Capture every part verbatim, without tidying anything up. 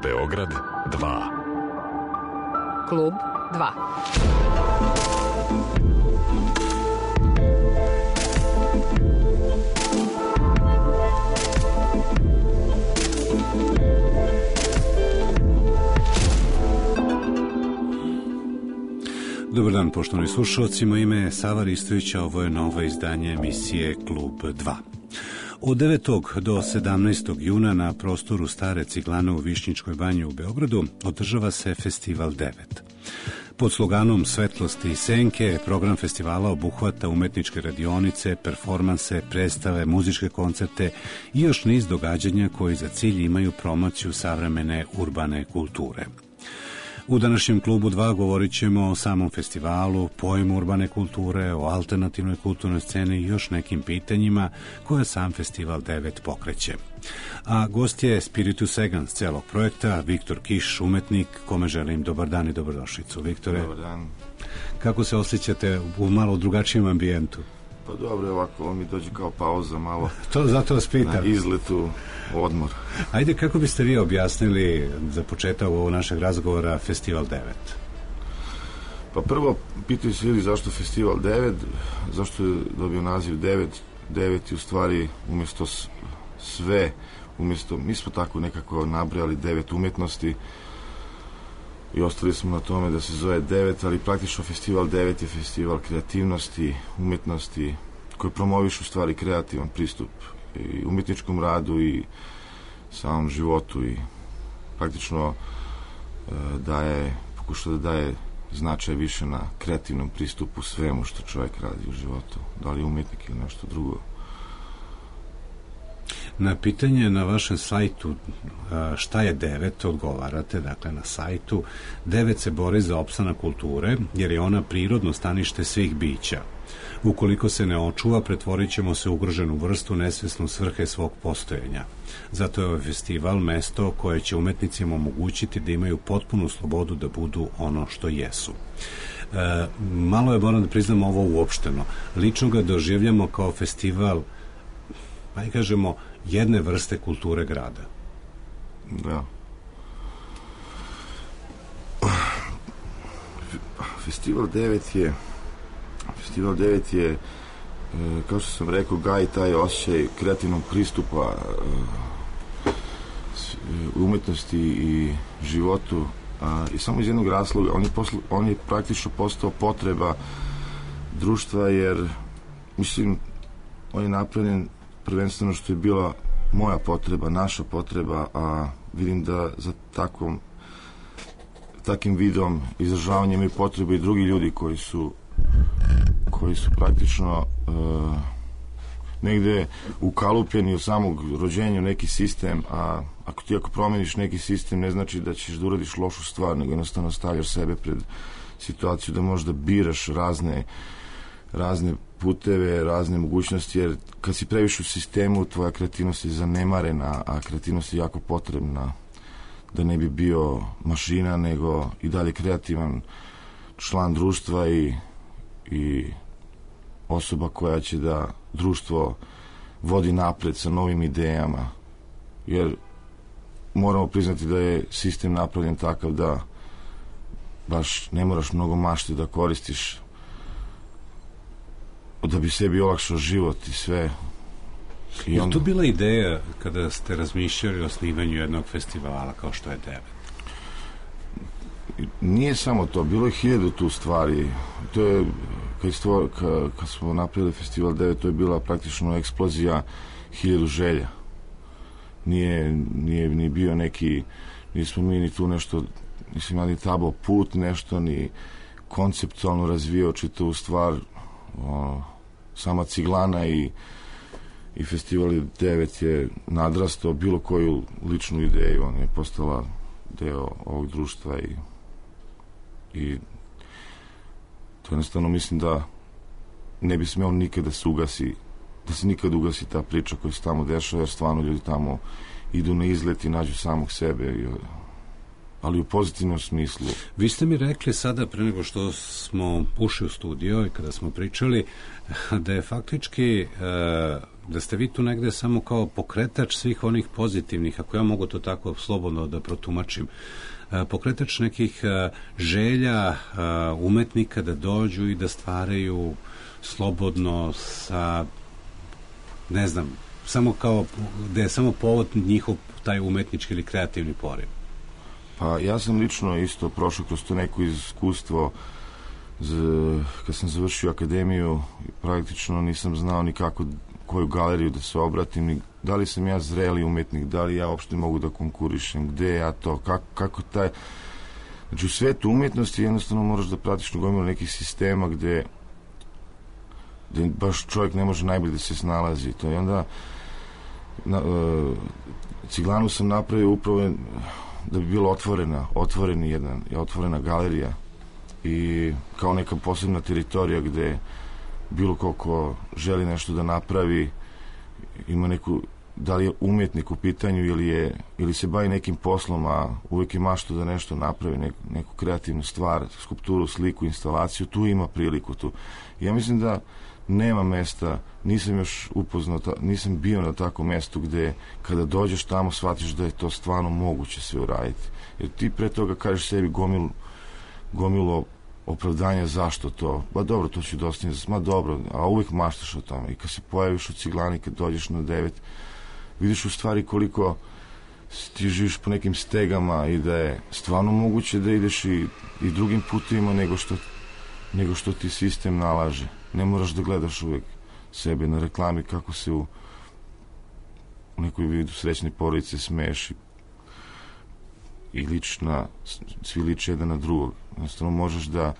Beograd dva. Klub dva. Dobar dan, poštovani slušalci, moje ime je Sava Ristović, a ovo je novo izdanje emisije Klub dva. Od devetog do sedamnaestog juna na prostoru Stare Ciglane u Višnjičkoj banji u Beogradu održava se Festival devet. Pod sloganom Svetlosti i senke program festivala obuhvata umetničke radionice, performanse, predstave, muzičke koncerte i još niz događanja koji za cilj imaju promociju savremene urbane kulture. U današnjem Klubu dva govorit ćemo o samom festivalu, pojmu urbane kulture, o alternativnoj kulturnoj sceni i još nekim pitanjima koje sam Festival devet pokreće. A gost je Spiritus Egans celog projekta, Viktor Kiš, umetnik, kome želim dobar dan i dobrodošlicu. Viktore, dobar dan. Kako se osjećate u malo drugačijem ambijentu? Pa dobro, ovako, ovo mi dođe kao pauza malo. To zato vas pitam. Na izletu, odmor. Ajde, kako biste vi objasnili za početak ovog našeg razgovora Festival devet? Pa prvo, pitaju se ljudi zašto Festival devet, zašto je dobio naziv devet. devet je u stvari umjesto sve, umjesto, mi smo tako nekako nabrojali devet umjetnosti i ostali smo na tome da se zove devet, ali praktično Festival devet je festival kreativnosti, umjetnosti, koji promoviš u stvari kreativan pristup i umjetničkom radu i samom životu i praktično e, daje, pokuša da daje značaj više na kreativnom pristupu svemu što čovjek radi u životu, da li je umjetnik ili nešto drugo. Na pitanje na vašem sajtu šta je devet, odgovarate, dakle na sajtu, devet se bori za opstanak kulture, jer je ona prirodno stanište svih bića. Ukoliko se ne očuva, pretvorit ćemo se u ugroženu vrstu nesvesnu svrhe svog postojenja. Zato je ovaj festival mesto koje će umetnicima omogućiti da imaju potpunu slobodu da budu ono što jesu. E, malo je, moram da priznam, ovo uopšteno. Lično ga doživljamo kao festival, pa i kažemo, jedne vrste kulture grada. Da. Festival devet je Festival devet je, kao što sam rekao, gaji taj osjećaj kreativnog pristupa umetnosti i životu, a, i samo iz jednog razloga. On je, posl, on je praktično postao potreba društva, jer mislim, on je napravljen prvenstveno što je bila moja potreba, naša potreba, a vidim da za takvom takim vidom izražavanja imaju potrebu i drugi ljudi koji su koji su praktično uh, negde ukalupljeni od samog rođenja u neki sistem, a ako ti ako promeniš neki sistem, ne znači da ćeš da uradiš lošu stvar, nego jednostavno stavljaš sebe pred situaciju da možda biraš razne razne puteve, razne mogućnosti, jer kad si previše u sistemu, tvoja kreativnost je zanemarena, a kreativnost je jako potrebna da ne bi bio mašina, nego i dalje kreativan član društva i, i osoba koja će da društvo vodi napred sa novim idejama, jer moramo priznati da je sistem napravljen takav da baš ne moraš mnogo mašte da koristiš da bi sebi olakšao život i sve. I je onda... to bila ideja kada ste razmišljali o osnivanju jednog festivala kao što je devet? Nije samo to, bilo je hiljadu tu stvari. To je, kad, stvo, kad, kad smo napravili Festival devet, to je bila praktično eksplozija hiljadu želja. Nije, nije ni bio neki, nismo mi ni tu nešto, nismo imali tabo put, nešto, ni konceptualno razvijao čitavu stvar. O, sama Ciglana i, i Festival devet je nadrastao bilo koju ličnu ideju, on je postala deo ovog društva i, i to jednostavno mislim da ne bi smeo nikada da se ugasi, da se nikada ugasi ta priča koja se tamo dešava, jer stvarno ljudi tamo idu na izlet i nađu samog sebe i, ali u pozitivnom smislu. Vi ste mi rekli sada, pre nego što smo ušli u studio i kada smo pričali, da je faktički e, da ste vi tu negde samo kao pokretač svih onih pozitivnih, ako ja mogu to tako slobodno da protumačim, pokretač nekih želja umetnika da dođu i da stvaraju slobodno sa, ne znam, samo kao, da je samo povod njihov taj umetnički ili kreativni poriv. Pa ja sam lično isto prošao kroz to neko iskustvo. Z, kad sam završio akademiju, praktično nisam znao ni kako, koju galeriju da se obratim, ni da li sam ja zreli umetnik, da li ja uopšte mogu da konkurišem, gde ja to, kako, kako taj... Znači u svetu umjetnosti jednostavno moraš da pratiš gomilu nekih sistema gde, gde baš čovjek ne može najbolje da se snalazi. To je onda na, uh, Ciglanu sam napravio upravo da bi bilo otvorena, otvoreni jedan, otvorena galerija i kao neka posebna teritorija gde bilo ko ko želi nešto da napravi, ima neku, da li je umetnik u pitanju ili, je, ili se bavi nekim poslom, a uvijek je mašta da nešto napravi, neku, neku kreativnu stvar, skulpturu, sliku, instalaciju, tu ima priliku tu. Ja mislim da nema mesta, nisam još upoznao, nisam bio na takvom mestu gde kada dođeš tamo shvatiš da je to stvarno moguće sve uraditi. Jer ti pre toga kažeš sebi gomilu gomilo opravdanja zašto to, ba dobro, to ću dostići, ma dobro, a uvijek maštaš o tome. I kad se pojaviš u Ciglani, kad dođeš na devet, vidiš u stvari koliko ti živiš po nekim stegama i da je stvarno moguće da ideš i, i drugim putima nego što, nego što ti sistem nalaže. Ne moraš da gledaš uvijek sebe na reklami kako se u, u nekoj vidu srećne porodice smeješ i i lična, svi liče jedan na drugog. Jednostavno možeš da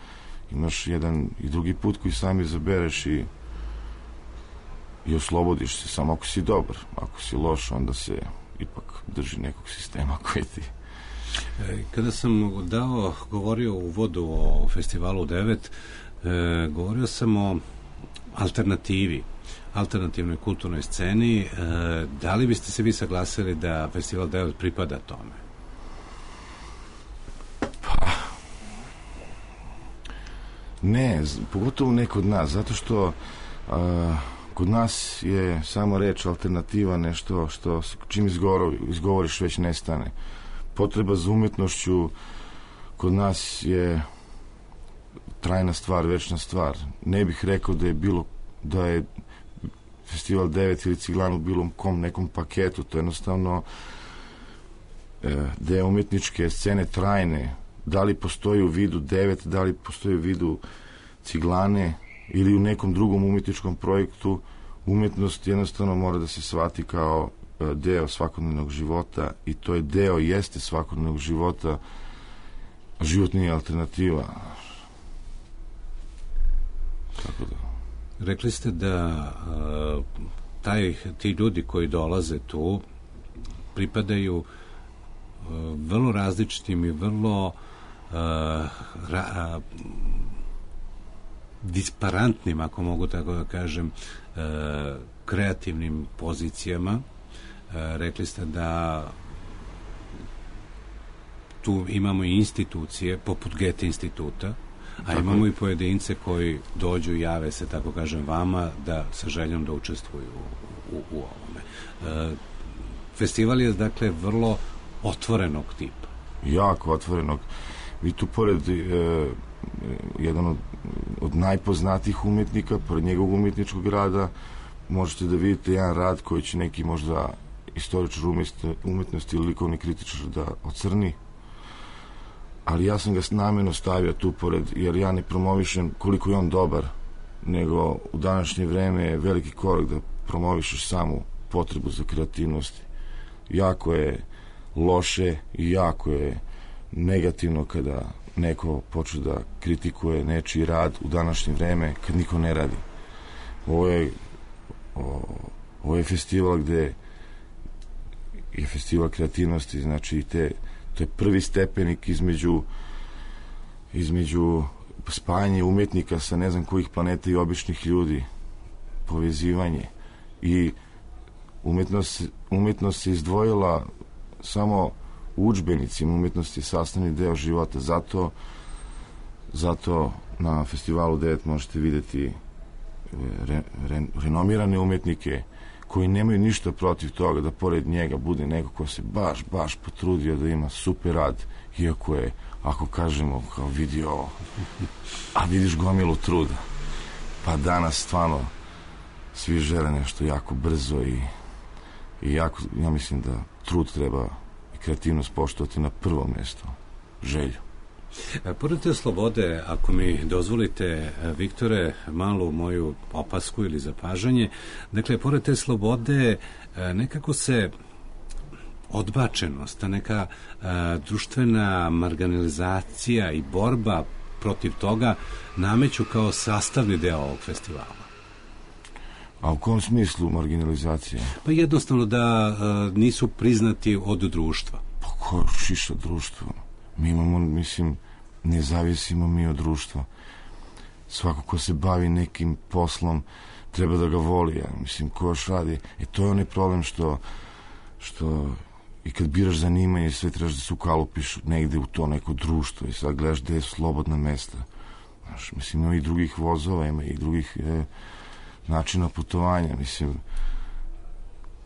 imaš jedan i drugi put koji sami izabereš i i oslobodiš se, samo ako si dobar. Ako si loš, onda se ipak drži nekog sistema koji ti... Kada sam dao, govorio u uvodu o festivalu devet, e, govorio sam o alternativi, alternativnoj kulturnoj sceni. E, da li biste se vi saglasili da festival devet pripada tome? Ne, pogotovo ne kod nas, zato što a, kod nas je samo reč alternativa nešto što čim izgovori, izgovoriš već nestane. Potreba za umetnošću kod nas je trajna stvar, večna stvar. Ne bih rekao da je bilo, da je festival devet ili Ciglanu bilo kom nekom paketu, to je jednostavno e, deo umetničke scene trajne. Da li postoji u vidu devet, da li postoji u vidu Ciglane ili u nekom drugom umetničkom projektu, umetnost jednostavno mora da se shvati kao deo svakodnevnog života i to je deo, jeste svakodnevnog života, život nije alternativa. Tako da. Rekli ste da uh, taj, ti ljudi koji dolaze tu pripadaju uh, vrlo različitim i vrlo uh, ra, uh, disparantnim, ako mogu tako da kažem, uh, kreativnim pozicijama. Uh, rekli ste da tu imamo i institucije poput Goethe instituta, a imamo i pojedince koji dođu i jave se, tako kažem, vama da sa željom da učestvuju u, u, u ovome. E, festival je, dakle, vrlo otvorenog tipa. Jako otvorenog. Vi tu pored e, jedan od, od najpoznatijih umetnika, pored njegovog umetničkog rada, možete da vidite jedan rad koji će neki možda istoričar umetnosti ili likovni kritičar da ocrni, ali ja sam ga namjerno stavio tu pored, jer ja ne promovišem koliko je on dobar, nego u današnje vreme je veliki korak da promovišeš samu potrebu za kreativnosti. Jako je loše i jako je negativno kada neko počne da kritikuje nečiji rad u današnje vreme kad niko ne radi. Ovo je, o, ovo je festival gde je festival kreativnosti, znači te to je prvi stepenik između između spajanja umetnika sa ne znam kojih planeta i običnih ljudi, povezivanje i umetnost, umetnost se izdvojila samo u udžbenicima, umetnost je sastavni deo života, zato zato na festivalu devet možete videti re, re, renomirane umetnike koji nemaju ništa protiv toga da pored njega bude neko ko se baš, baš potrudio da ima super rad, iako je, ako kažemo, kao vidio, a vidiš gomilu truda. Pa danas stvarno svi žele nešto jako brzo i, i jako, ja mislim da trud treba i kreativnost poštovati na prvo mjesto, želju. Pored te slobode, ako mi dozvolite, Viktore, malu moju opasku ili zapažanje, dakle, pored te slobode nekako se odbačenost, ta neka a, društvena marginalizacija i borba protiv toga nameću kao sastavni deo ovog festivala. A u kom smislu marginalizacije? Pa jednostavno da a, nisu priznati od društva. Pa ko šiša društvo? Mi imamo, mislim, ne zavisimo mi od društva. Svako ko se bavi nekim poslom treba da ga voli. Ja. Mislim, ko još radi. E to je onaj problem što, što i kad biraš zanimanje sve trebaš da se ukalupiš negde u to neko društvo i sad gledaš gde su slobodna mesta. Znaš, mislim, ima i drugih vozova, ima i drugih e, načina putovanja. Mislim,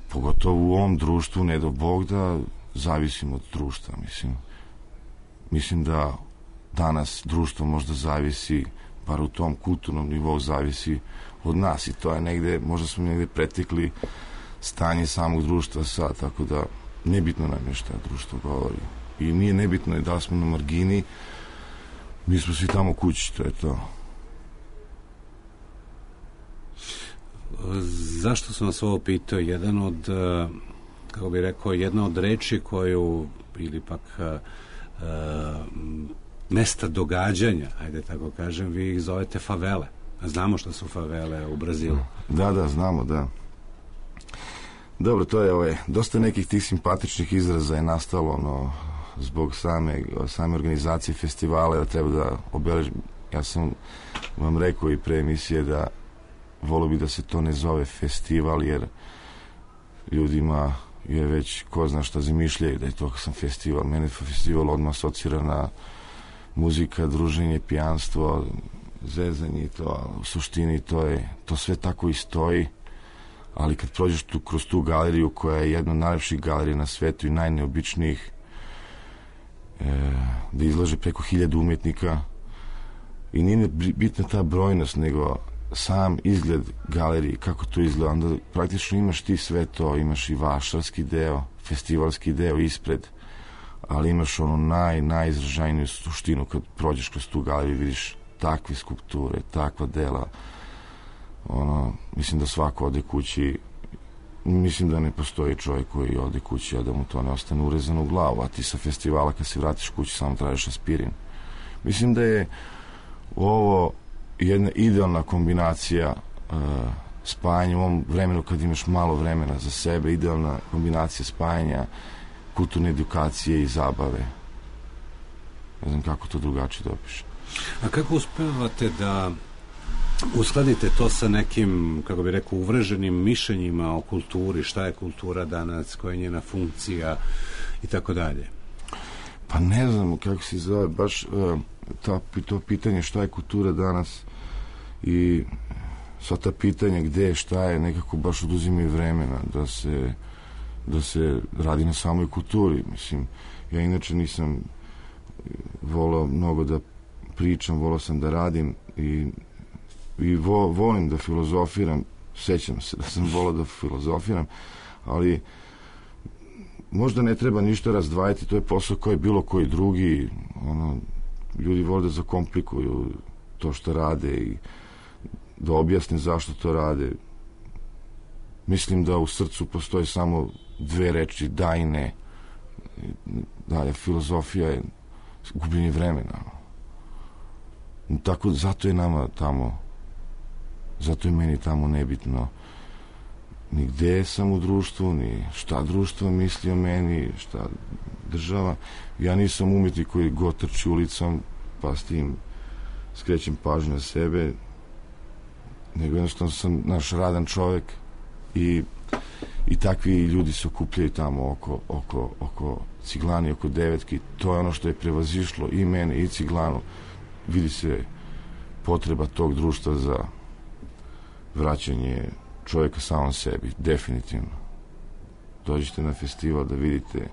pogotovo u ovom društvu, ne do Bog da zavisimo od društva. Mislim, mislim da danas društvo možda zavisi, bar u tom kulturnom nivou zavisi od nas i to je negde, možda smo negde pretekli stanje samog društva sad, tako da nebitno nam je šta društvo govori. I nije nebitno je da smo na margini, mi smo svi tamo kući, to je to. Zašto sam vas ovo pitao? Jedan od, kako bih rekao, jedna od reči koju, ili pak uh, mesta događanja, ajde tako kažem, vi ih zovete favele. Znamo što su favele u Brazilu. Da, da, znamo, da. Dobro, to je ovaj, dosta nekih tih simpatičnih izraza je nastalo, no, zbog same, same organizacije festivala, da treba da obeležim. Ja sam vam rekao i pre emisije da volio bi da se to ne zove festival, jer ljudima je već ko zna šta zamišljaju da je to sam festival. Mene festival odmah asocira na muzika, druženje, pijanstvo, zezanje i to, u suštini to je, to sve tako i stoji, ali kad prođeš tu, kroz tu galeriju koja je jedna od najlepših galerija na svetu i najneobičnijih, e, da izlaže preko hiljadu umetnika i nije bitna ta brojnost, nego sam izgled galerije, kako to izgleda, onda praktično imaš ti sve to, imaš i vašarski deo, festivalski deo ispred, ali imaš ono naj, najizražajniju suštinu kad prođeš kroz tu galeriju, vidiš takve skulpture, takva dela, ono, mislim da svako ode kući, mislim da ne postoji čovjek koji ode kući, a da mu to ne ostane urezano u glavu, a ti sa festivala kad se vratiš kući samo tražiš aspirin. Mislim da je ovo jedna idealna kombinacija uh, spajanja u ovom vremenu kad imaš malo vremena za sebe, idealna kombinacija spajanja kulturne edukacije i zabave. Ne znam kako to drugačije da opišem. A kako uspevate da uskladite to sa nekim, kako bi rekao, uvreženim mišljenjima o kulturi, šta je kultura danas, koja je njena funkcija i tako dalje? Pa ne znam kako se zove, baš uh, ta, to pitanje šta je kultura danas i sva ta pitanja gde, šta je, nekako baš oduzimaju vremena da se, da se radi na samoj kulturi. Mislim, ja inače nisam volao mnogo da pričam, volao sam da radim i, i vo, volim da filozofiram, sećam se da sam volao da filozofiram, ali možda ne treba ništa razdvajati, to je posao koji je bilo koji drugi, ono, ljudi vole da zakomplikuju to što rade i da objasne zašto to rade. Mislim da u srcu postoje samo dve reči, da i ne. Dalje, filozofija je gubljenje vremena. Tako, zato je nama tamo, zato je meni tamo nebitno ni gde sam u društvu, ni šta društvo misli o meni, šta država. Ja nisam umetnik koji god trči ulicom, pa s tim skrećem pažnju na sebe, nego jednostavno sam naš radan čovek i, i takvi ljudi se okupljaju tamo oko, oko, oko Ciglani, oko Devetki. To je ono što je prevazišlo i mene i Ciglanu. Vidi se potreba tog društva za vraćanje čovjeka samom sebi, definitivno. Dođite na festival da vidite,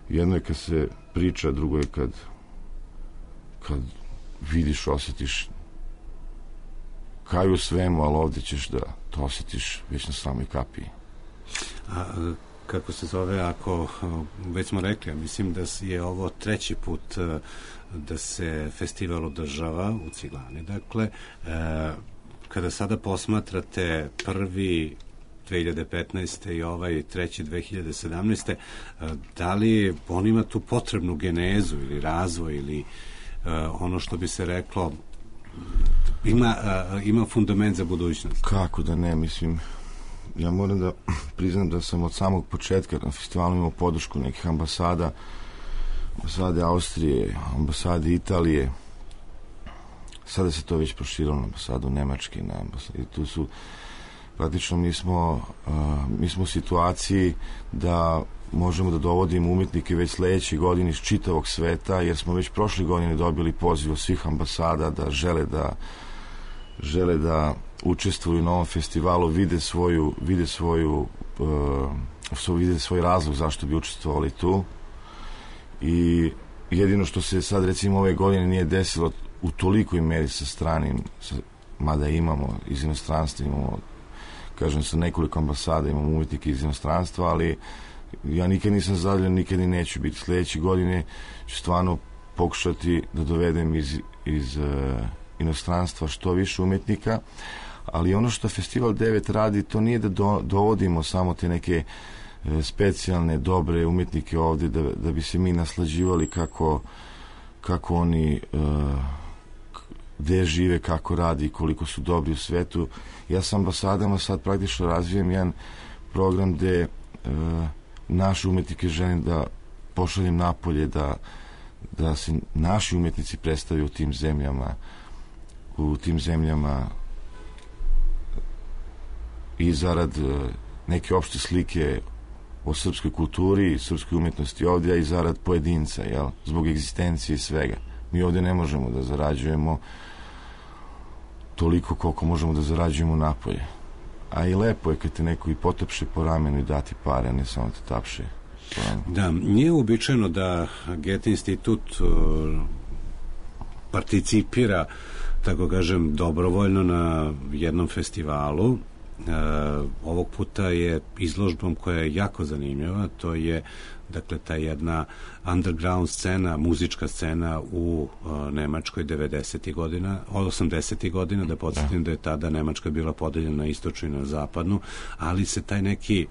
jedno je kad se priča, drugo je kad kad vidiš, osjetiš kao u svemu, ali ovdje ćeš da to osjetiš već na samoj kapiji. A kako se zove, ako već smo rekli, mislim da je ovo treći put da se festival održava u Ciglani. Dakle, kada sada posmatrate prvi dve hiljade petnaeste i ovaj treći dve hiljade sedamnaeste. Da li on ima tu potrebnu genezu ili razvoj ili ono što bi se reklo ima, ima fundament za budućnost? Kako da ne, mislim, ja moram da priznam da sam od samog početka na festivalu imao podršku nekih ambasada, ambasade Austrije, ambasade Italije, sada se to već proširilo na ambasadu Nemačke, na ambasadu, i tu su praktično mi smo, uh, mi smo u situaciji da možemo da dovodimo umjetnike već sledeće godine iz čitavog sveta, jer smo već prošle godine dobili poziv od svih ambasada da žele da žele da učestvuju na ovom festivalu, vide svoju vide svoju uh, vide svoj razlog zašto bi učestvovali tu. I jedino što se sad recimo ove godine nije desilo u tolikoj meri sa stranim, sa, mada imamo iz inostranstva, imamo, kažem, sa nekoliko ambasada imamo umjetnike iz inostranstva, ali ja nikad nisam zadovoljan, nikad i neću biti. Sljedeće godine ću stvarno pokušati da dovedem iz, iz uh, inostranstva što više umjetnika, ali ono što Festival devet radi, to nije da do, dovodimo samo te neke uh, specijalne, dobre umjetnike ovdje, da, da bi se mi naslađivali kako, kako oni uh, gde žive, kako radi, koliko su dobri u svetu. Ja sa ambasadama sad praktično razvijem jedan program gde uh, naše umjetnike želim da pošaljem napolje, da, da se naši umjetnici predstavljaju u tim zemljama, u tim zemljama i zarad neke opšte slike o srpskoj kulturi i srpskoj umjetnosti ovdje, i zarad pojedinca, jel? Zbog egzistencije i svega. Mi ovdje ne možemo da zarađujemo toliko koliko možemo da zarađujemo napolje. A i lepo je kad te neko i potapše po ramenu i dati pare, a ne samo te tapše. Da, nije uobičajeno da Goethe institut uh, participira, tako kažem, dobrovoljno na jednom festivalu. Uh, ovog puta je izložbom koja je jako zanimljiva, to je dakle ta jedna underground scena, muzička scena u uh, Nemačkoj devedesetih godina, od osamdesetih godina, da podsjetim da je tada Nemačka bila podeljena na istočnu i na zapadnu, ali se taj neki,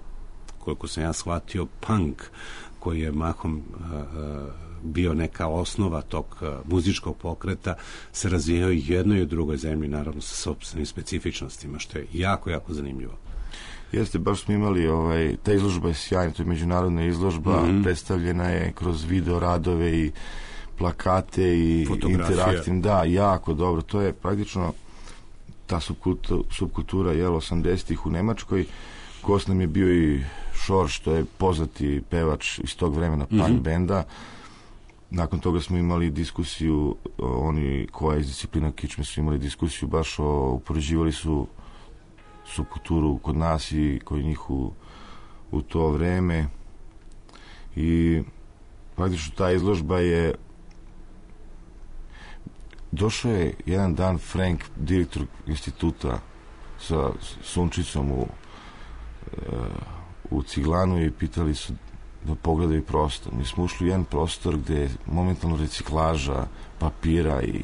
koliko sam ja shvatio, punk, koji je mahom uh, uh, bio neka osnova tog uh, muzičkog pokreta, se razvijao i jednoj i u drugoj zemlji, naravno sa sopstvenim specifičnostima, što je jako, jako zanimljivo. Jeste, baš smo imali, ovaj, ta izložba je sjajna, to je međunarodna izložba, mm-hmm. predstavljena je kroz video radove i plakate i interaktivne, da, jako dobro, to je praktično ta subkultura, subkultura jel, osamdesetih u Nemačkoj. Gost nam je bio i Šor, što je poznati pevač iz tog vremena punk mm-hmm. benda. Nakon toga smo imali diskusiju, oni koja iz disciplina kičme su imali diskusiju, baš o, upoređivali su subkulturu kod nas i kod njih u, u to vreme, i praktično ta izložba je došao je jedan dan Frank, direktor instituta, sa Sunčicom u, u Ciglanu, i pitali su da pogledaju prostor. Mi smo ušli u jedan prostor gde je momentalno reciklaža papira i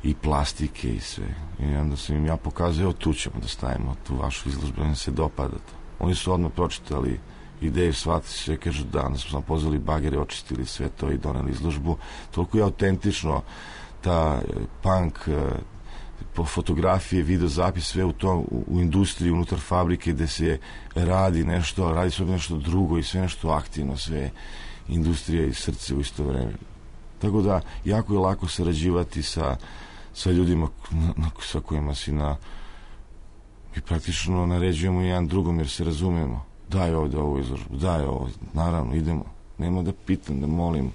i plastike i sve. I onda sam im ja pokazao, evo tu ćemo da stavimo tu vašu izložbu, im se dopada to. Oni su odmah pročitali ideju, shvatili sve, kažu da, onda smo sam pozvali bagere, očistili sve to i doneli izložbu. Toliko je autentično ta punk, po fotografije, video zapis, sve u tom, u, u industriji, unutar fabrike gde se radi nešto, radi se nešto drugo i sve nešto aktivno, sve industrija i srce u isto vreme. Tako da, jako je lako sarađivati sa sa ljudima na, na, sa kojima si na i praktično naređujemo jedan drugom, jer se razumemo. Daj ovdje ovu izložbu, daj ovo, naravno, idemo. Nema da pitam, da molim,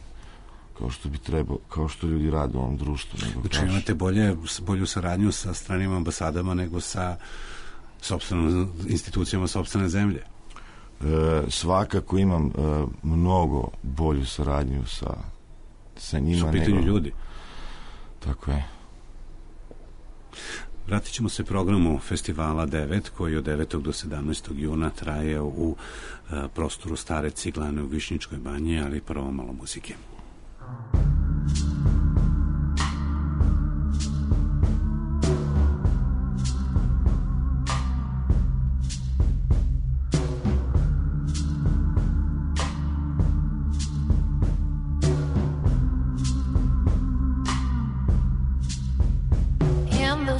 kao što bi trebao, kao što ljudi rade u ovom društvu. Znači imate bolje, bolju saradnju sa stranim ambasadama nego sa sopstvenom institucijama sopstvene zemlje? E, svakako imam e, mnogo bolju saradnju sa, sa njima. Su u pitanju nego... ljudi. Tako je. Vratit ćemo se programu Festivala devet, koji od devetog do sedamnaestog juna traje u e, prostoru Stare Ciglane u Višnjičkoj banji, ali prvo malo muzike.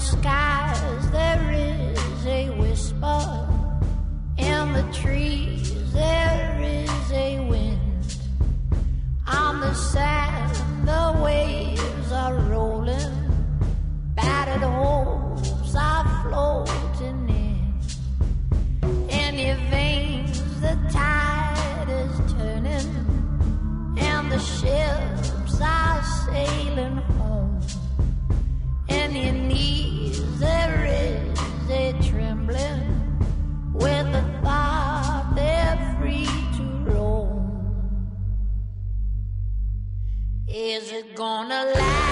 Skies there is a whisper, in the trees there is a wind, on the sand the waves are rolling, battered hopes are floating in, in your veins the tide is turning, and the ships are sailing home, and your knees there is a trembling with the thought they're free to roam. Is it gonna last?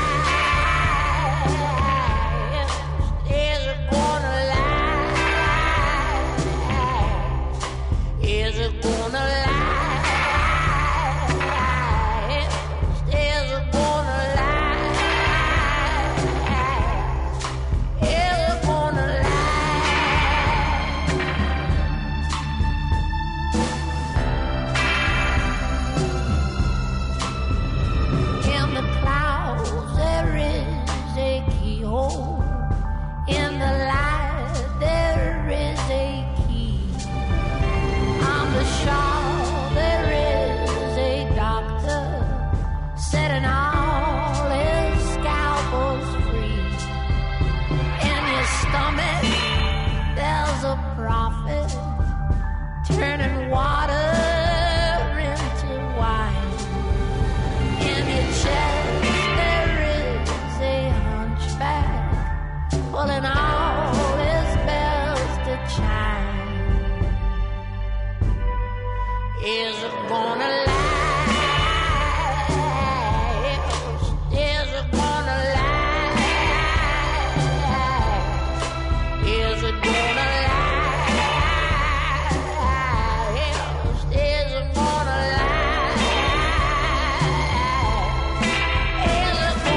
Is it gonna last? Is it gonna last? Is it gonna in the light there is a key, on the shore there is a doctor setting all his scalpels free, in your stomach there's a prophet turning water into wine, in your chest there is a hunchback pulling all his bells to chime. Is it gonna last? Is it gonna last? Is it gonna last? Is it gonna last? Is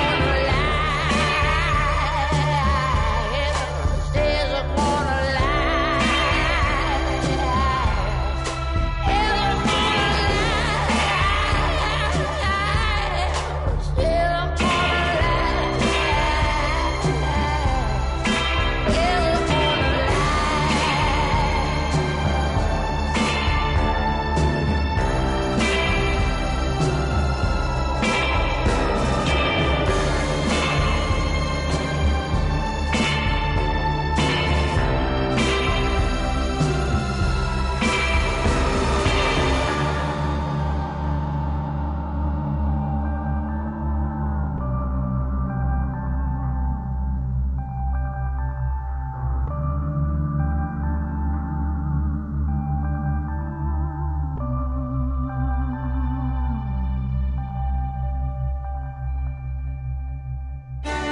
it gonna last? Is it gonna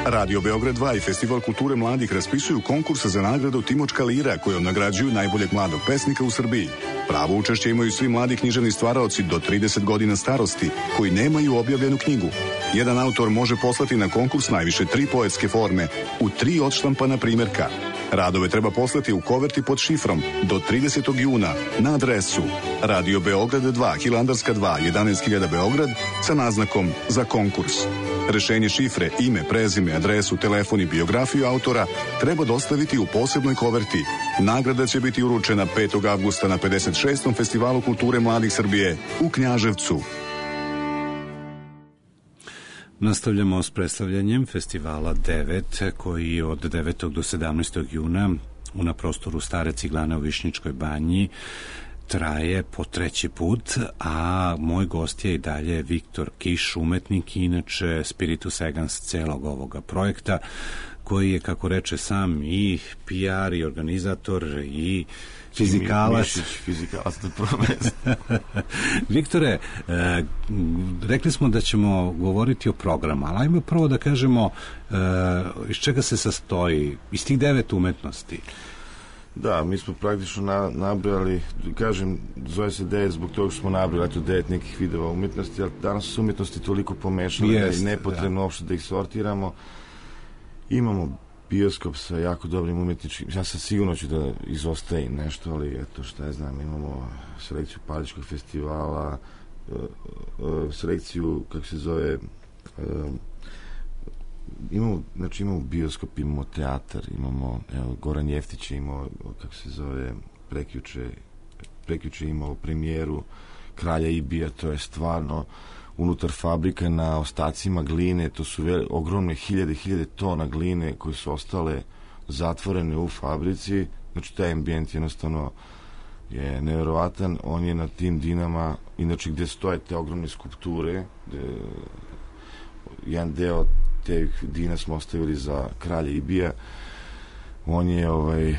Radio Beograd dva i Festival kulture mladih raspisuju konkurs za nagradu Timočka lira, kojom nagrađuju najboljeg mladog pesnika u Srbiji. Pravo učešće imaju svi mladi književni stvaraoci do trideset godina starosti koji nemaju objavljenu knjigu. Jedan autor može poslati na konkurs najviše tri poetske forme u tri odštampana primjerka. Radove treba poslati u koverti pod šifrom do tridesetog juna na adresu Radio Beograd dva, Hilandarska dva, jedanaest hiljada Beograd sa naznakom za konkurs. Rešenje šifre, ime, prezime, adresu, telefon i biografiju autora treba dostaviti u posebnoj koverti. Nagrada će biti uručena petog avgusta na pedeset šestom Festivalu kulture mladih Srbije u Knjaževcu. Nastavljamo s predstavljanjem Festivala devet, koji od devetog do sedamnaestog juna na prostoru Stare Ciglane u Višnjičkoj banji traje po treći put, a moj gost je i dalje Viktor Kiš, umetnik i inače spiritus egans celog ovoga projekta, koji je, kako reče sam, i P R i organizator i fizikalac. Mišić, fizikalac na prvo mesto. Viktore, e, rekli smo da ćemo govoriti o programu, ali ajmo prvo da kažemo e, iz čega se sastoji, iz tih devet umetnosti. Da, mi smo praktično na, nabrali, kažem, zove se devet zbog toga što smo nabrali tu devet nekih vidova umetnosti, ali danas su umjetnosti toliko pomešane da je nepotrebno uopšte da ih sortiramo. Imamo bioskop sa jako dobrim umjetničkim, ja sam sigurno ću da izostajem nešto, ali eto šta ja znam, imamo selekciju Paličkog festivala, selekciju, kako se zove, imamo, znači imamo bioskop, imamo teatar, imamo, evo, Goran Jeftić je imao, kako se zove, prekjuče, prekjuče imao premijeru Kralja Ibija, to je stvarno unutar fabrika na ostacima gline, to su vel, ogromne hiljade, hiljade tona gline koje su ostale zatvorene u fabrici, znači taj ambijent jednostavno je nevjerovatan, on je na tim dinama, inače gde stoje te ogromne skulpture, gde, jedan deo te dina smo ostavili za Kralja Ibija, on je ovaj uh,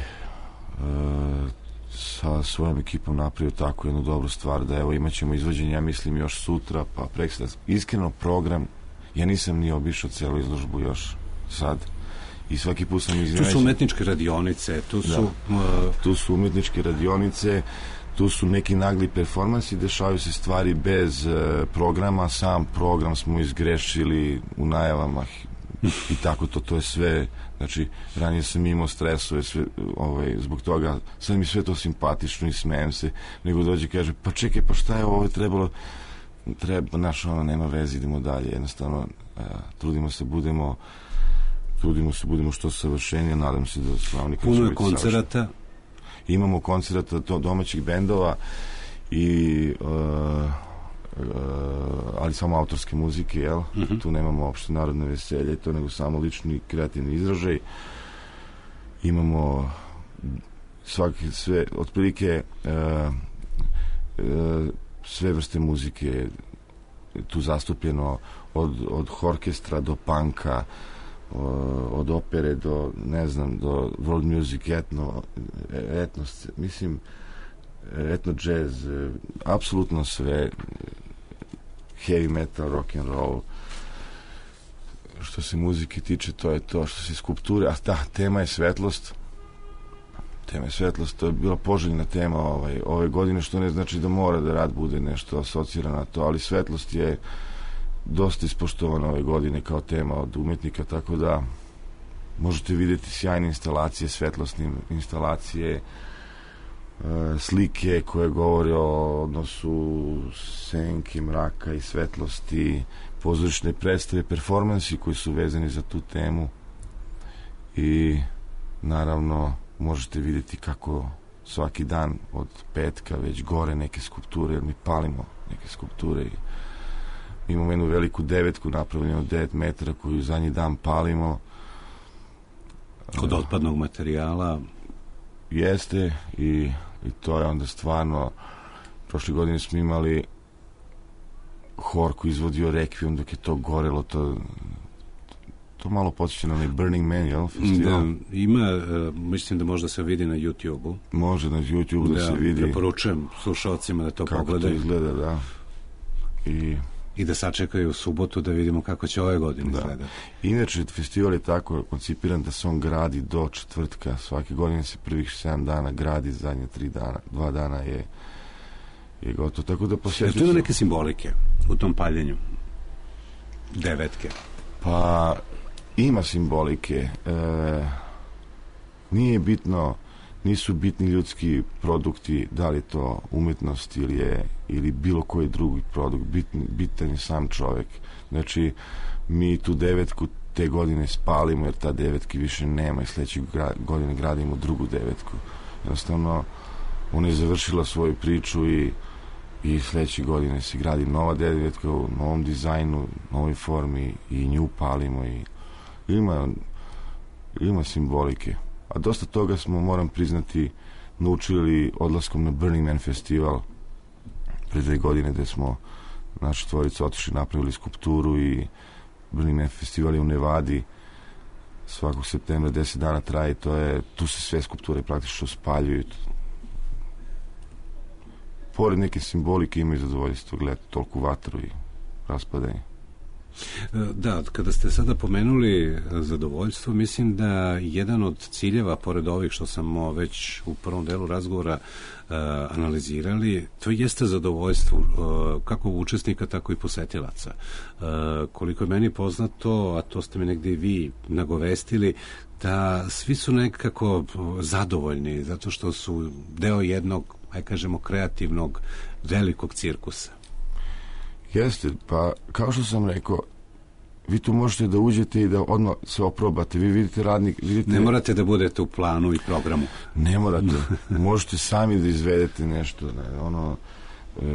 sa svojom ekipom napravio tako jednu dobru stvar da evo imat ćemo izvođenje, ja mislim još sutra, pa prekstra. Iskreno program, ja nisam ni obišao celu izložbu još sad i svaki put sam iznenađen. Tu su umetničke radionice, tu su... Da, uh... tu su umetničke radionice, tu su neki nagli performansi, dešavaju se stvari bez uh, programa, sam program smo izgrešili u najavama i tako to, to je sve, znači ranije sam imao stresove sve, ovaj, zbog toga, sad mi sve to simpatično i smijem se, nego dođe i kaže, pa čekaj, pa šta je ovo trebalo, treba, naš ono, nema veze, idemo dalje, jednostavno uh, trudimo se, budemo trudimo se, budemo što savršenije, nadam se da slavnika puno je koncerata, imamo koncerata domaćih bendova i uh, Uh, ali samo autorske muzike, jel? Uh-huh. Tu nemamo uopšte narodne veselje, to nego samo lični kreativni izražaj. Imamo svaki, sve, otprilike uh, uh, sve vrste muzike tu zastupljeno od, od orkestra do panka, uh, od opere do, ne znam, do world music, etno, etnos, mislim, etno jazz, apsolutno sve, heavy metal, rock and roll. Što se muzike tiče, to je to. Što se skulpture, a ta tema je svetlost. Tema je svetlost, to je bila poželjna tema ovaj, ove godine, što ne znači da mora da rad bude nešto asocirano na to, ali svetlost je dosta ispoštovana ove godine kao tema od umetnika, tako da možete vidjeti sjajne instalacije, svetlosne instalacije, slike koje govore o odnosu senke, mraka i svetlosti, pozorišne predstave, performansi koji su vezani za tu temu i naravno možete vidjeti kako svaki dan od petka već gore neke skulpture, jer mi palimo neke skulpture i imamo jednu veliku devetku napravljenu od devet metara koju zadnji dan palimo kod otpadnog materijala. Jeste i i to je onda stvarno, prošle godine smo imali hor koji izvodio Requiem dok je to gorelo, to to malo podsjeća na onaj Burning Man, jel? Festival? Da, ima, uh, mislim da možda se vidi na YouTube-u. Može na YouTube-u da, da se vidi. Preporučujem slušalcima da to kako pogledaju. Kako to izgleda, da. I... I da sačekaju u subotu da vidimo kako će ove godine da. izgledati. Inače, festival je tako koncipiran da se on gradi do četvrtka. Svake godine se prvih sedam dana gradi, zadnje tri dana, dva dana je, je gotovo. Tako da posjeću... Tu ima neke simbolike u tom paljenju? Devetke. Pa, ima simbolike. E, nije bitno, nisu bitni ljudski produkti, da li je to umetnost ili je ili bilo koji drugi produkt, bitan, bitan je sam čovjek. Znači, mi tu devetku te godine spalimo, jer ta devetki više nema i sljedeće godine gradimo drugu devetku. Jednostavno, ona je završila svoju priču i, i sljedeće godine se gradi nova devetka u novom dizajnu, novoj formi i nju palimo i ima, ima simbolike. A dosta toga smo, moram priznati, naučili odlaskom na Burning Man festival pre dve godine, gde smo naši tvorice otišli, napravili skulpturu i Burning Man festival je u Nevadi svakog septembra deset dana traje, to je, tu se sve skulpture praktično spaljuju. Pored neke simbolike imaju zadovoljstvo gledati toliku vatru i raspadanje. Da, kada ste sada pomenuli zadovoljstvo, mislim da jedan od ciljeva, pored ovih što sam već u prvom delu razgovora uh, analizirali, to jeste zadovoljstvo uh, kako učesnika, tako i posetilaca. Uh, koliko je meni poznato, a to ste mi negdje i vi nagovestili, da svi su nekako zadovoljni, zato što su deo jednog, aj kažemo, kreativnog, velikog cirkusa. Jeste, pa kao što sam rekao, vi tu možete da uđete i da odmah se oprobate. Vi vidite radnik... Vidite... Ne morate da budete u planu i programu. Ne morate. Možete sami da izvedete nešto. Ne, ono, e,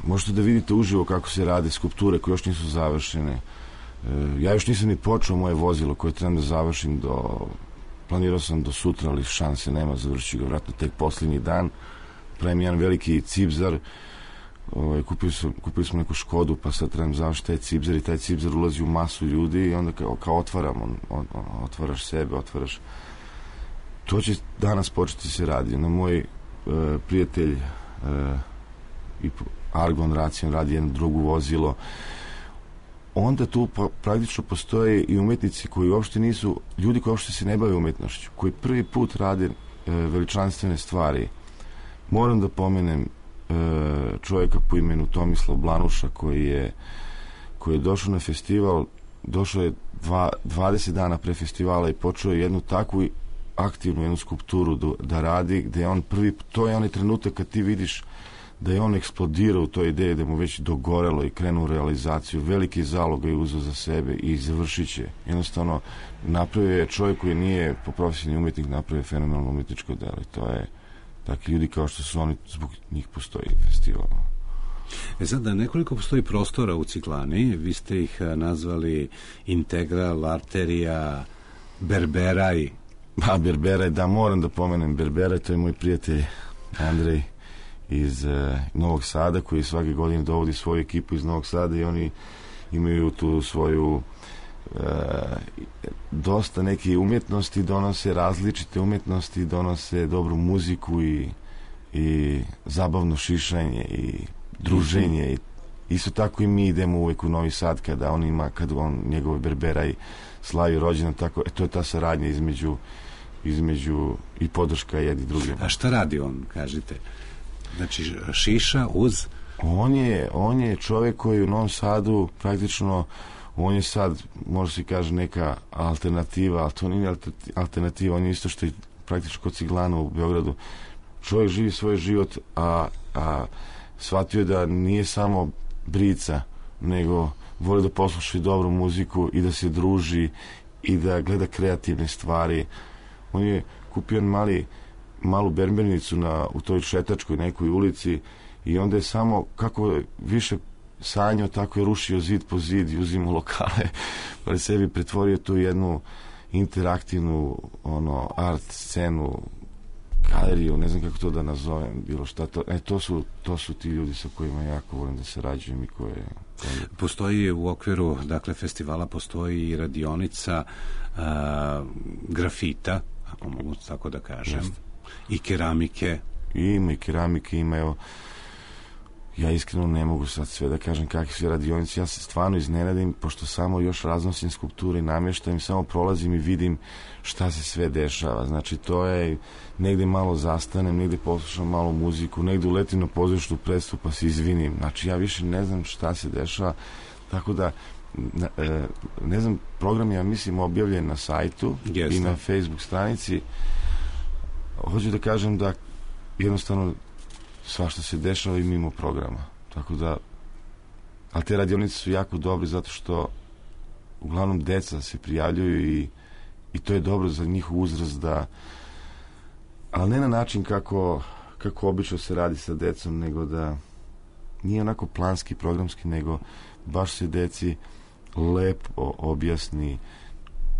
možete da vidite uživo kako se rade skulpture koje još nisu završene. E, ja još nisam ni počeo moje vozilo koje trebam da završim do... Planirao sam do sutra, ali šanse nema, završiti ga vratno tek posljednji dan. Pravim jedan veliki cipzar. Ovaj, kupili, su, kupili smo neku Škodu, pa sad trebam završiti taj cipzar i taj cipzar ulazi u masu ljudi i onda kao, kao otvaram, on, on, on, otvaraš sebe, otvaraš. To će danas početi se radi. Na moj e, prijatelj e, i Argon Racion radi jedno drugo vozilo. Onda tu pa, praktično postoje i umetnici koji uopšte nisu, ljudi koji uopšte se ne bave umetnošću, koji prvi put rade e, veličanstvene stvari. Moram da pomenem čovjeka po imenu Tomislav Blanuša koji je, koji je došao na festival, došao je dva, dvadeset dana pre festivala i počeo jednu takvu aktivnu jednu skulpturu da, da radi, gde je on prvi, to je onaj trenutak kad ti vidiš da je on eksplodirao u toj ideji, da mu već dogorelo i krenuo u realizaciju, veliki zalog je uzeo za sebe i završit će. Jednostavno, napravio je čovjek koji nije po profesiji umetnik, napravio fenomenalno umetničko delo i to je takvi ljudi kao što su oni, zbog njih postoji festival. E sad, da nekoliko postoji prostora u Ciklani, vi ste ih nazvali Integral, Arterija, Berberaj. Pa, Berberaj, da, moram da pomenem Berberaj, to je moj prijatelj Andrej iz uh, Novog Sada, koji svake godine dovodi svoju ekipu iz Novog Sada i oni imaju tu svoju Uh, dosta neke umjetnosti, donose različite umjetnosti, donose dobru muziku i, i zabavno šišanje i druženje i isto tako i mi idemo uvijek u Novi Sad kada on ima, kad on njegove Berberaj slavi rođendan, tako, e, to je ta saradnja između između i podrška jedni drugim. A šta radi on, kažite? Znači šiša uz? On je, on je čovjek koji u Novom Sadu praktično on je sad, može se kaže, neka alternativa, ali to nije alternativa, on je isto što je praktično kod Ciglana u Beogradu. Čovjek živi svoj život, a, a shvatio je da nije samo brica, nego voli da posluša dobru muziku i da se druži i da gleda kreativne stvari. On je kupio mali, malu berbernicu na, u toj šetačkoj nekoj ulici i onda je samo, kako više sanjao, tako je rušio zid po zid i uzimao lokale, pa je sebi pretvorio tu jednu interaktivnu ono, art scenu, galeriju, ne znam kako to da nazovem, bilo šta to, e, to su, to su ti ljudi sa kojima jako volim da sarađujem i koje... koje... Postoji u okviru, dakle, festivala postoji i radionica a, grafita, ako mogu tako da kažem, Just. i keramike. I ima i keramike, ima, evo, ja iskreno ne mogu sad sve da kažem kakve su radionice, ja se stvarno iznenadim, pošto samo još raznosim skulpture i namještajem, samo prolazim i vidim šta se sve dešava. Znači, to je, negde malo zastanem, negde poslušam malo muziku, negde uletim na pozorišnu predstavu pa se izvinim. Znači, ja više ne znam šta se dešava, tako da, ne znam, program je, ja mislim, objavljen na sajtu Jeste. i na Facebook stranici. Hoću da kažem da jednostavno svašta se dešava i mimo programa. Tako da, ali te radionice su jako dobre zato što uglavnom deca se prijavljuju i, i to je dobro za njihov uzrast da, ali ne na način kako, kako obično se radi sa decom, nego da nije onako planski, programski, nego baš se deci lepo objasni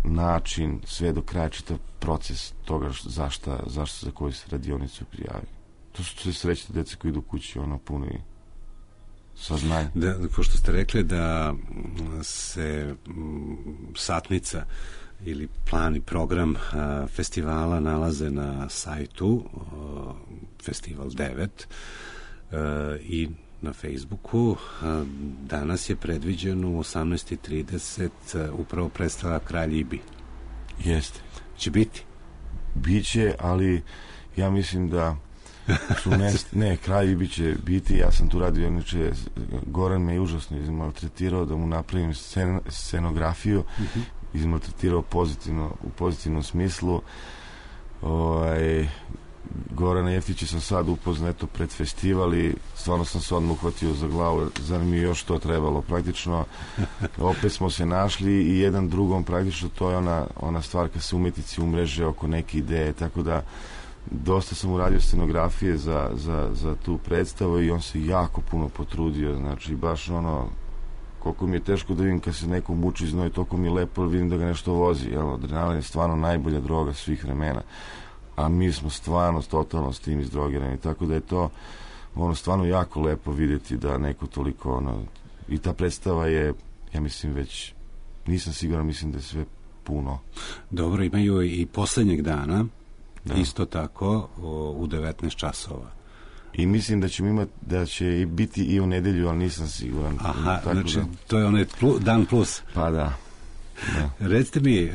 način, sve do kraja čitav proces toga zašta, zašto za koju se radionicu prijavi. To su sve srećne dece koji idu kući, ono, puni saznanje. Da, pošto ste rekli da se m, satnica ili plan i program a, festivala nalaze na sajtu a, Festival devet a, i na Facebooku. A, danas je predviđeno u osamnaest i trideset a, upravo predstava Kralj Ibi. Jeste. Će biti? Biće, ali ja mislim da su mest, ne, Kralj Ibi će biti, ja sam tu radio, inače Goran me je užasno izmaltretirao da mu napravim scen, scenografiju, uh-huh. izmaltretirao pozitivno, u pozitivnom smislu. Ovaj, Gorana Jeftića sam sad upoznato pred festival i stvarno sam se odmah uhvatio za glavu, zar mi je još to trebalo praktično. Opet smo se našli i jedan drugom praktično, to je ona, ona stvar kad se umjetnici umreže oko neke ideje, tako da dosta sam uradio scenografije za, za, za tu predstavu i on se jako puno potrudio, znači baš ono, koliko mi je teško da vidim kad se neko muči znoj, toliko mi je lepo vidim da ga nešto vozi, jel, adrenalin je stvarno najbolja droga svih vremena, a mi smo stvarno totalno s tim izdrogirani, tako da je to ono stvarno jako lepo vidjeti da neko toliko ono, i ta predstava je, ja mislim već, nisam siguran, mislim da je sve puno. Dobro, imaju i poslednjeg dana, da. Isto tako o, u devetnaest časova. I mislim da ćemo imati, da će biti i u nedelju, ali nisam siguran. Aha, tako znači da, to je onaj plu, dan plus. Pa da. Da. Recite mi, e,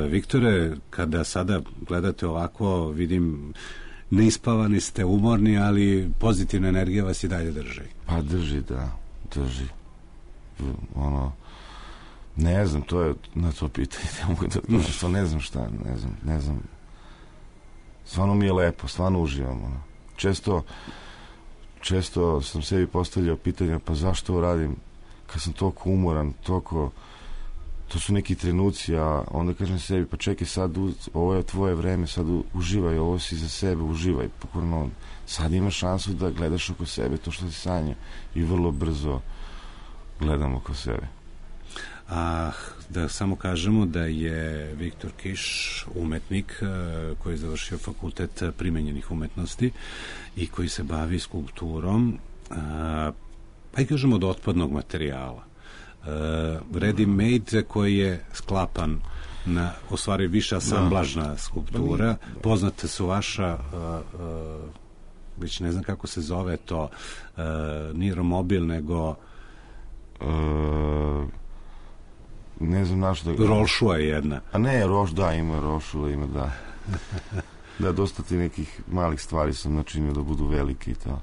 Viktore, kada sada gledate ovako, vidim, neispavani ste, umorni, ali pozitivna energija vas i dalje drži. Pa drži, da, drži. Ono, ne znam, to je na to pitanje, ne mogu da, što ne znam šta, ne znam, ne znam. Stvarno mi je lepo, stvarno uživam, ono. Često, često sam sebi postavljao pitanja, pa zašto ovo radim, kad sam toliko umoran, toliko, to su neki trenuci, a onda kažem sebi, pa čekaj sad, ovo je tvoje vreme, sad uživaj, ovo si za sebe, uživaj, pokorno, sad imaš šansu da gledaš oko sebe to što si sanja i vrlo brzo gledam oko sebe. A da samo kažemo da je Viktor Kiš umetnik koji je završio fakultet primenjenih umetnosti i koji se bavi skulpturom, pa i kažemo od otpadnog materijala. Ready made koji je sklapan na, u stvari više asamblažna skulptura. Poznate su vaša već ne znam kako se zove to, nije romobil nego ne znam našto da... Rolšua je jedna. A ne, Roš, da, ima Rošula, ima, da. Da, dosta ti nekih malih stvari sam načinio da budu veliki i to.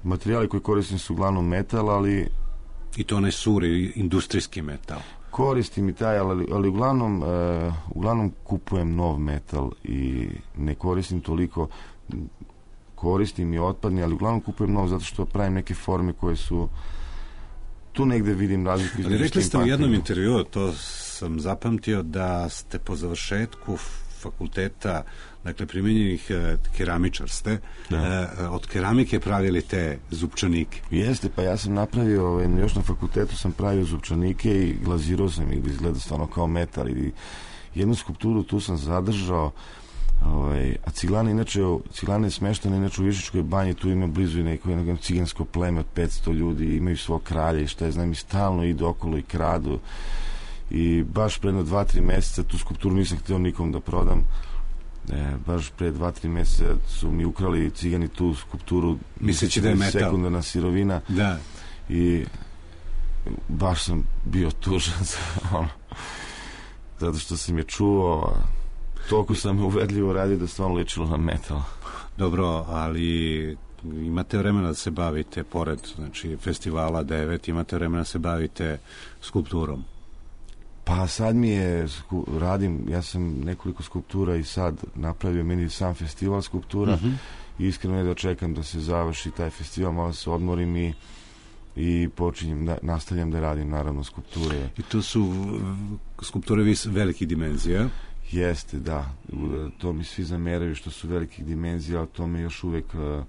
Materijali koji koristim su uglavnom metal, ali... I to onaj suri, industrijski metal. Koristim i taj, ali, ali uglavnom, uh, uglavnom kupujem nov metal i ne koristim toliko, koristim i otpadni, ali uglavnom kupujem nov zato što pravim neke forme koje su tu negde vidim razliku. Ali rekli ste u jednom intervjuu, to sam zapamtio, da ste po završetku fakulteta, dakle primenjenih e, keramičar ste, e, od keramike pravili te zupčanike. Jeste, pa ja sam napravio, ovaj, još na fakultetu sam pravio zupčanike i glazirao sam ih da izgleda stvarno kao metal i jednu skulpturu tu sam zadržao. Ovaj, a Ciglana, inače, Ciglana je smeštena inače u Višičkoj banji, tu ima blizu i neko jednog cigansko pleme od petsto ljudi, imaju svog kralja i šta je, znam, i stalno idu okolo i kradu i baš pre dva tri meseca tu skulpturu nisam htio nikom da prodam, e, baš pre dva tri meseca su mi ukrali cigani tu skulpturu, misleći da je metal, sekundarna sirovina, da. I baš sam bio tužan ono, zato što sam je čuo, toliko sam uvedljivo radio da stvarno ličilo na metal. Dobro, ali imate vremena da se bavite, pored znači, festivala devet, imate vremena da se bavite skulpturom? Pa sad mi je, radim, ja sam nekoliko skulptura i sad napravio meni sam festival skulptura, uh-huh. I iskreno je da čekam da se završi taj festival, malo se odmorim i i počinjem da nastavljam da radim naravno skulpture. I to su skulpture vis velikih dimenzija? Jeste, da. To mi svi zameraju što su velikih dimenzija, ali to me još uvek uh,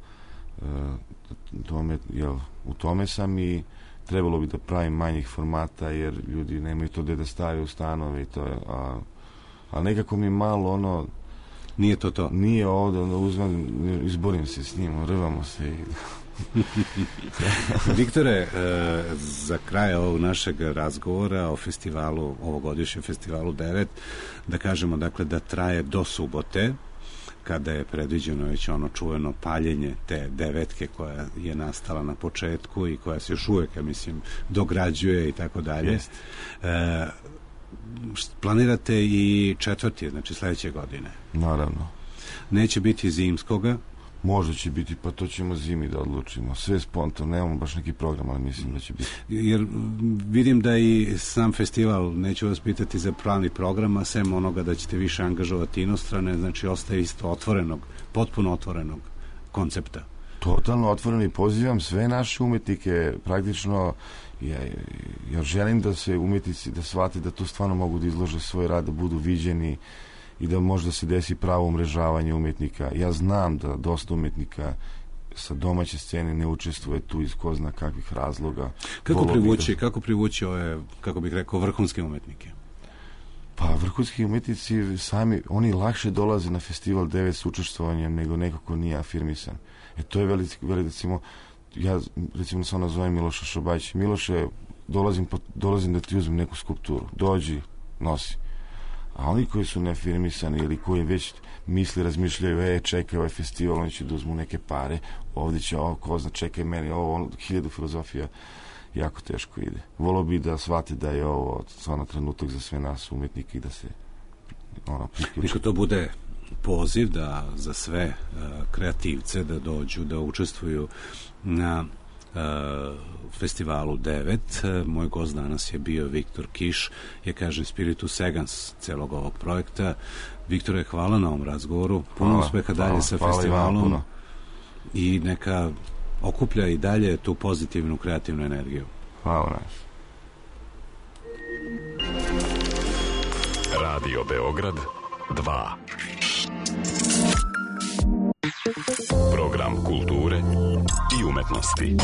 tome, jel, u tome sam i trebalo bi da pravim manjih formata jer ljudi nemaju to gde da stavaju u stanove i to je, a, a nekako mi malo ono Nije to to? Nije ovde, onda uzmem, izborim se s njim, rvamo se i... Viktore, za kraj ovog našeg razgovora o festivalu, ovogodišnjem festivalu devet, da kažemo dakle da traje do subote, kada je predviđeno već ono čuveno paljenje te devetke koja je nastala na početku i koja se još uvijek, ja mislim, dograđuje i tako dalje. Planirate i četvrti, znači sledeće godine? Naravno. Neće biti zimskoga? Možda će biti, pa to ćemo zimi da odlučimo. Sve spontano, nemamo baš neki program, ali mislim da će biti. Jer vidim da i sam festival, neću vas pitati za pravni program, a sem onoga da ćete više angažovati inostrane, znači ostaje isto otvorenog, potpuno otvorenog koncepta. Totalno otvoreno i pozivam sve naše umetnike, praktično, ja, ja želim da se umetnici, da shvate da tu stvarno mogu da izlože svoj rad, da budu viđeni i da možda se desi pravo umrežavanje umetnika. Ja znam da dosta umetnika sa domaće scene ne učestvuje tu iz ko zna kakvih razloga. Kako privući, kako privući ove, kako bih rekao, vrhunske umetnike? Pa vrhunski umetnici sami, oni lakše dolaze na festival devet s učestvovanjem nego neko ko nije afirmisan. E to je veliko, veliko, recimo, ja recimo se ono zovem Miloša Šobać. Miloše, dolazim, dolazim da ti uzmem neku skulpturu. Dođi, nosi. A oni koji su neafirmisani ili koji već misli, razmišljaju, e, čekaj ovaj festival, oni će da uzmu neke pare, ovdje će, ovo, ko zna, čekaj meni, ovo, ono, hiljadu filozofija, jako teško ide. Volio bi da shvate da je ovo stvarno trenutak za sve nas umetnike i da se ono priključi. Niko to bude poziv da za sve uh, kreativce da dođu, da učestvuju na Uh, festivalu devet. Uh, moj gost danas je bio Viktor Kiš, je kažem spiritus segans celog ovog projekta. Viktore, hvala na ovom razgovoru, puno hvala, uspeha dalje hvala, sa hvala festivalom i, i neka okuplja i dalje tu pozitivnu kreativnu energiju. Hvala nas. Radio Beograd dva. Program kulture i umetnosti.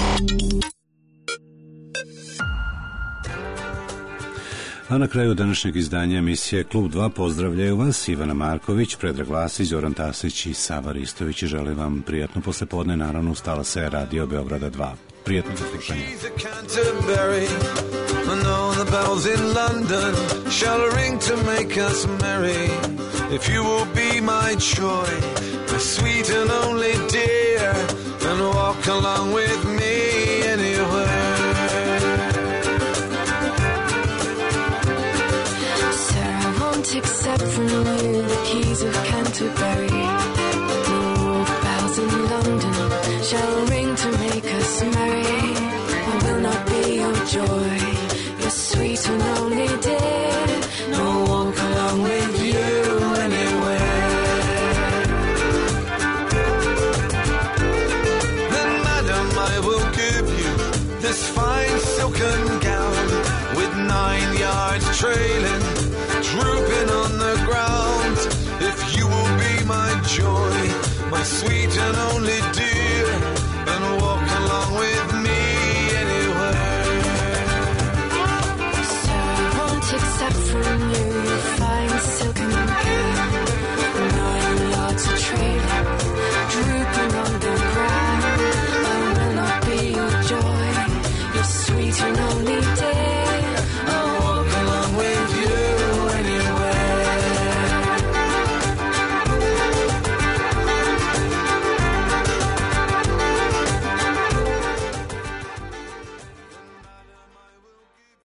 A na kraju današnjeg izdanja emisije Klub dva pozdravljaju vas Ivana Marković, Predrag Vasić, Zoran Tasić i Sava Ristović i želim vam prijatno poslepodne, naravno ustala se Radio Beograda dva. Prijatno za slušanje. If you will be my joy, my sweet and only dear, and walk along with me.